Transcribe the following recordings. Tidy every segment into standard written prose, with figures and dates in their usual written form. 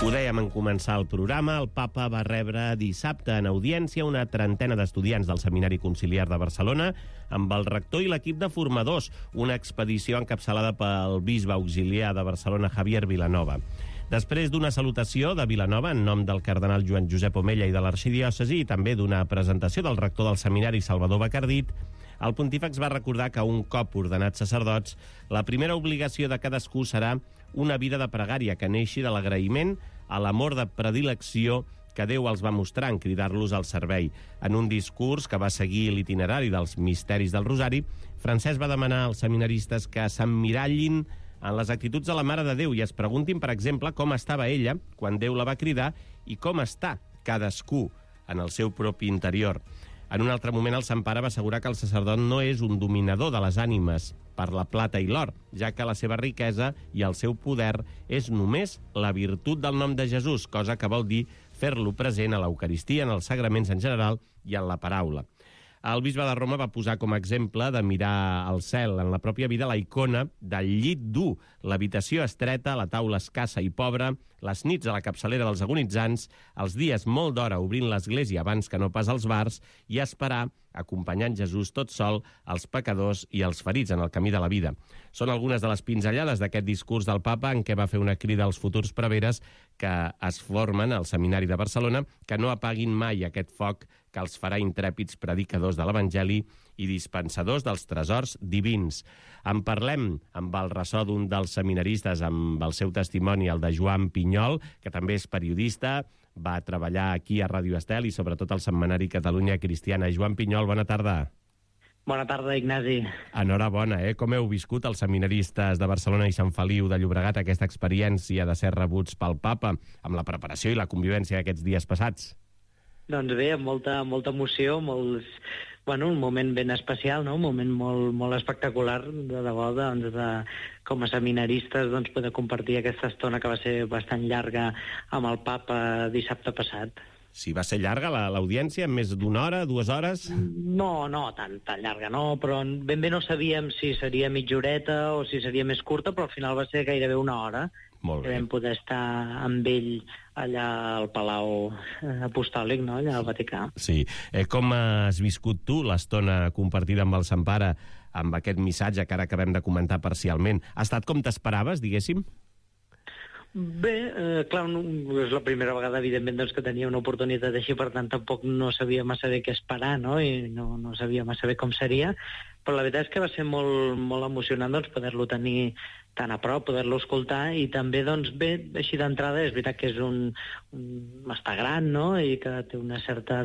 Ho dèiem en començar el programa, el papa va rebre dissabte en audiència una trentena d'estudiants del Seminari Conciliar de Barcelona amb el rector i l'equip de formadors, una expedició encapçalada pel bisbe auxiliar de Barcelona, Javier Vilanova. Després d'una salutació de Vilanova en nom del cardenal Joan Josep Omella i de l'arxidiòcesi i també d'una presentació del rector del seminari, Salvador Bacardit, el pontífex va recordar que un cop ordenats sacerdots, la primera obligació de cadascú serà una vida de pregària que neixi de l'agraïment a l'amor de predilecció que Déu els va mostrar en cridar-los al servei. En un discurs que va seguir l'itinerari dels misteris del Rosari, Francesc va demanar als seminaristes que s'emmirallin en les actituds de la Mare de Déu i es preguntin, per exemple, com estava ella quan Déu la va cridar i com està cadascú en el seu propi interior. En un altre moment, el Sant Pare va assegurar que el sacerdot no és un dominador de les ànimes per la plata i l'or, ja que la seva riquesa i el seu poder és només la virtut del nom de Jesús, cosa que vol dir fer-lo present a l'Eucaristia, en els sagraments en general i en la paraula. El bisbe de Roma va posar com a exemple de mirar al cel en la pròpia vida la icona del llit dur, l'habitació estreta, la taula escassa i pobra, les nits a la capçalera dels agonitzants, els dies molt d'hora obrint l'església abans que no pas als bars i esperar, acompanyant Jesús tot sol, els pecadors i els ferits en el camí de la vida. Són algunes de les pinzellades d'aquest discurs del papa en què va fer una crida als futurs preveres que es formen al Seminari de Barcelona que no apaguin mai aquest foc que els farà intrèpids predicadors de l'Evangeli i dispensadors dels tresors divins. En parlem amb el ressò d'un dels seminaristes, amb el seu testimoni, el de Joan Pinyol, que també és periodista, va treballar aquí a Ràdio Estel i sobretot al Setmanari Catalunya Cristiana. Joan Pinyol, bona tarda. Bona tarda, Ignasi. Enhorabona, Com heu viscut els seminaristes de Barcelona i Sant Feliu de Llobregat aquesta experiència de ser rebuts pel papa amb la preparació i la convivència d'aquests dies passats? Doncs bé, amb molta emoció, un moment ben especial, no? Un moment molt espectacular, de debò, com a seminaristes, poder compartir aquesta estona que va ser bastant llarga amb el papa dissabte passat. Sí, va ser llarga l'audiència, més d'una hora, 2 hores? No, tan llarga no, però ben bé no sabíem si seria mitja horeta o si seria més curta, però al final va ser gairebé una hora. Molt bé. Que vam poder estar amb ell allà al Palau Apostòlic, no? Allà al Vaticà. Sí. Com has viscut tu l'estona compartida amb el Sant Pare, amb aquest missatge que ara acabem de comentar parcialment? Ha estat com t'esperaves, diguéssim? Bé, clar, és la primera vegada, evidentment, que tenia una oportunitat així, per tant, tampoc no sabia massa bé què esperar, no? I no sabia massa bé com seria, però la veritat és que va ser molt emocionant poder-lo tenir tan a prop, poder-lo escoltar, i també, bé, així d'entrada, és veritat que és està gran, no?, i que té una certa,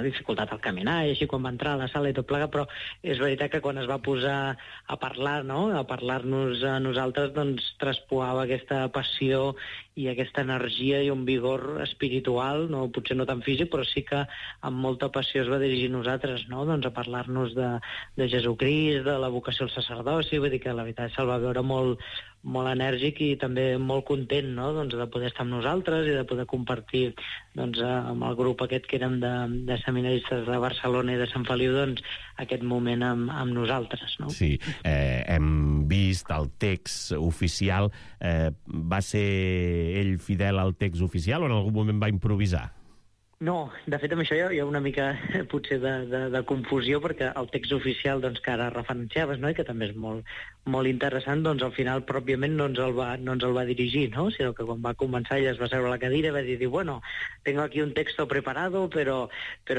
dificultat al caminar, i així quan va entrar a la sala i tot plegat, però és veritat que quan es va posar a parlar, no?, a parlar-nos a nosaltres, traspuava aquesta passió i aquesta energia i un vigor espiritual, no, potser no tan físic, però sí que amb molta passió es va dirigir a nosaltres, no?, a parlar-nos de Jesucrist, de la vocació al sacerdoci, vull dir que la veritat se'l va veure molt enèrgic i també molt content, no?, de poder estar amb nosaltres i de poder compartir amb el grup aquest que érem de seminaristes de Barcelona i de Sant Feliu aquest moment amb nosaltres, no? Sí, hem vist el text oficial. Va ser ell fidel al text oficial o en algun moment va improvisar? No, de fet amb això hi ha una mica potser de confusió, perquè el text oficial que ara referenciaves, no?, i que també és molt interessant, al final pròpiament no ens el va dirigir, no?, sinó que quan va començar ell es va seure a la cadira i va dir, bueno, tengo aquí un texto preparado, pero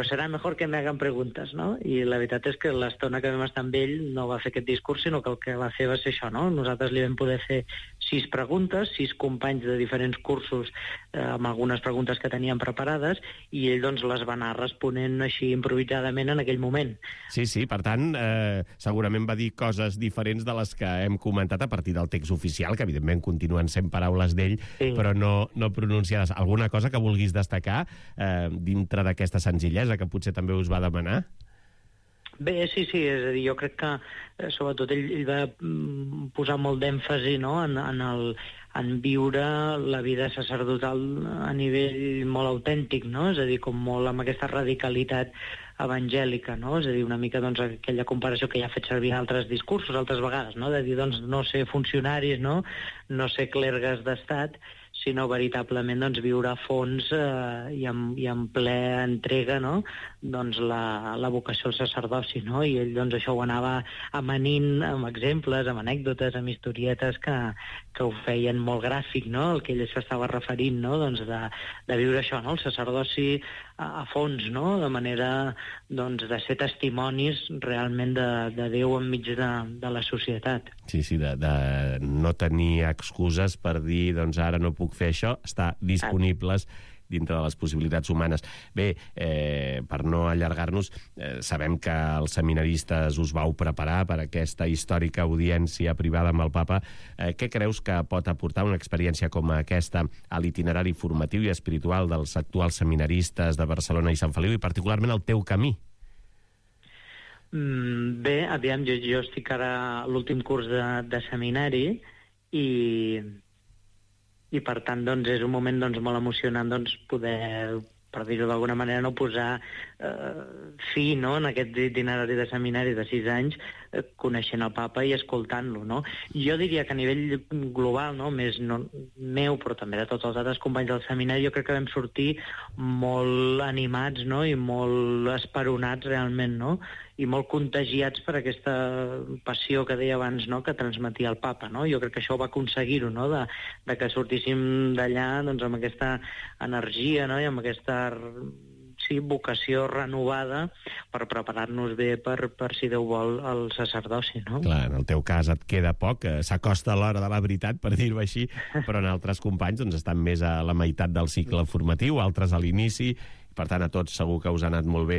será mejor que me hagan preguntas, no? I la veritat és que l'estona que vam estar amb ell no va fer aquest discurs, sinó que el que va fer va ser això, no? Nosaltres li vam poder fer 6 preguntes, 6 companys de diferents cursos amb algunes preguntes que teníem preparades, i ell les va anar responent així improvisadament en aquell moment. Sí, per tant, segurament va dir coses diferents de les que hem comentat a partir del text oficial, que evidentment continuen sent paraules d'ell, sí, però no pronunciades. Alguna cosa que vulguis destacar dintre d'aquesta senzillesa que potser també us va demanar? Bé, sí, és a dir, jo crec que sobretot ell va posar molt d'èmfasi, no?, en viure la vida sacerdotal a nivell molt autèntic, no?, és a dir, com molt amb aquesta radicalitat evangèlica, no?, és a dir, una mica aquella comparació que ja ha fet servir en altres discursos altres vegades, no?, de dir, no ser funcionaris, no ser clergues d'estat, sinó veritablement doncs, viure a fons i en ple entrega, no? Doncs la vocació al sacerdoci, no? I ell doncs, això ho anava amanint amb exemples, amb anècdotes, amb historietes que ho feien molt gràfic, no? El que ell s'estava referint, no? Doncs de viure això, no? El sacerdoci a fons, no? De manera doncs, de ser testimonis realment de Déu enmig de la societat. Sí, de no tenir excuses per dir, doncs ara no puc fer això, estar disponibles dintre de les possibilitats humanes. Bé, per no allargar-nos, sabem que els seminaristes us vau preparar per aquesta històrica audiència privada amb el papa. Què creus que pot aportar una experiència com aquesta a l'itinerari formatiu i espiritual dels actuals seminaristes de Barcelona i Sant Feliu, i particularment al teu camí? Bé, aviam, jo estic ara a l'últim curs de seminari i per tant doncs, és un moment doncs, molt emocionant doncs, poder, per dir-ho d'alguna manera, no posar fi, no?, en aquest itinerari de seminari de 6 anys, coneixent el papa i escoltant-lo, no? Jo diria que a nivell global, no?, més meu, però també de tots els altres companys del seminari, jo crec que vam sortir molt animats, no?, i molt esperonats realment, no?, i molt contagiats per aquesta passió que deia abans, no?, que transmetia el papa, no? Jo crec que això va aconseguir-ho, no?, de que sortíssim d'allà doncs, amb aquesta energia, no?, i amb aquesta vocació renovada per preparar-nos bé per, si Déu vol, el sacerdoci, no? Clar, en el teu cas et queda poc, s'acosta l'hora de la veritat, per dir-ho així, però en altres companys doncs, estan més a la meitat del cicle formatiu, altres a l'inici. Per tant, a tots segur que us ha anat molt bé.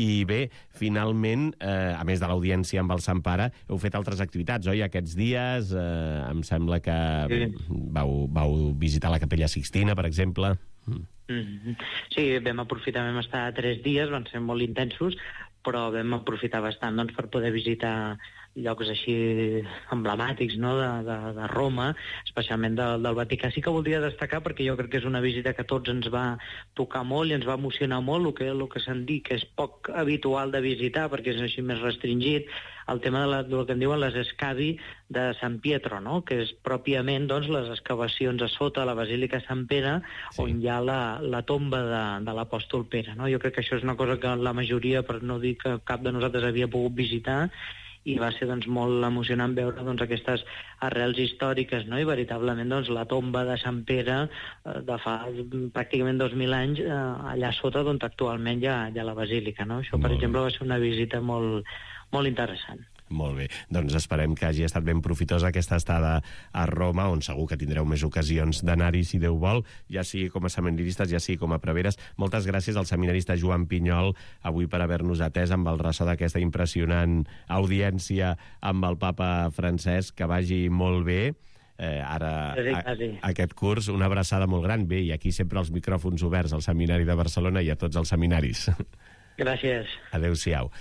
I bé, finalment, a més de l'audiència amb el Sant Pare, heu fet altres activitats, oi? Aquests dies em sembla que vau visitar la Capella Sixtina, per exemple. Sí, vam aprofitar, vam estar 3 dies, van ser molt intensos, però vam aprofitar bastant doncs, per poder visitar llocs així emblemàtics, no?, de Roma, especialment del Vaticà. Sí que voldria destacar, perquè jo crec que és una visita que a tots ens va tocar molt i ens va emocionar molt, el que se'n diu que és poc habitual de visitar, perquè és així més restringit, el tema del que en diuen les escavi de Sant Pietro, no?, que és pròpiament doncs, les excavacions a sota la Basílica Sant Pere, sí, on hi ha la tomba de l'apòstol Pere, no? Jo crec que això és una cosa que la majoria, per no dir que cap de nosaltres havia pogut visitar, i va ser doncs, molt emocionant veure doncs, aquestes arrels històriques, no? I veritablement doncs, la tomba de Sant Pere de fa pràcticament 2.000 anys allà sota d'on actualment hi ha la basílica, no? Això, per exemple, va ser una visita molt, molt interessant. Molt bé, doncs esperem que hagi estat ben profitosa aquesta estada a Roma, on segur que tindreu més ocasions d'anar-hi, si Déu vol, ja sigui com a seminaristes, ja sigui com a preveres. Moltes gràcies al seminarista Joan Pinyol avui per haver-nos atès amb el ressò d'aquesta impressionant audiència amb el papa Francesc. Que vagi molt bé. Aquest curs, una abraçada molt gran. Bé, i aquí sempre els micròfons oberts al Seminari de Barcelona i a tots els seminaris. Gràcies. Adéu-siau.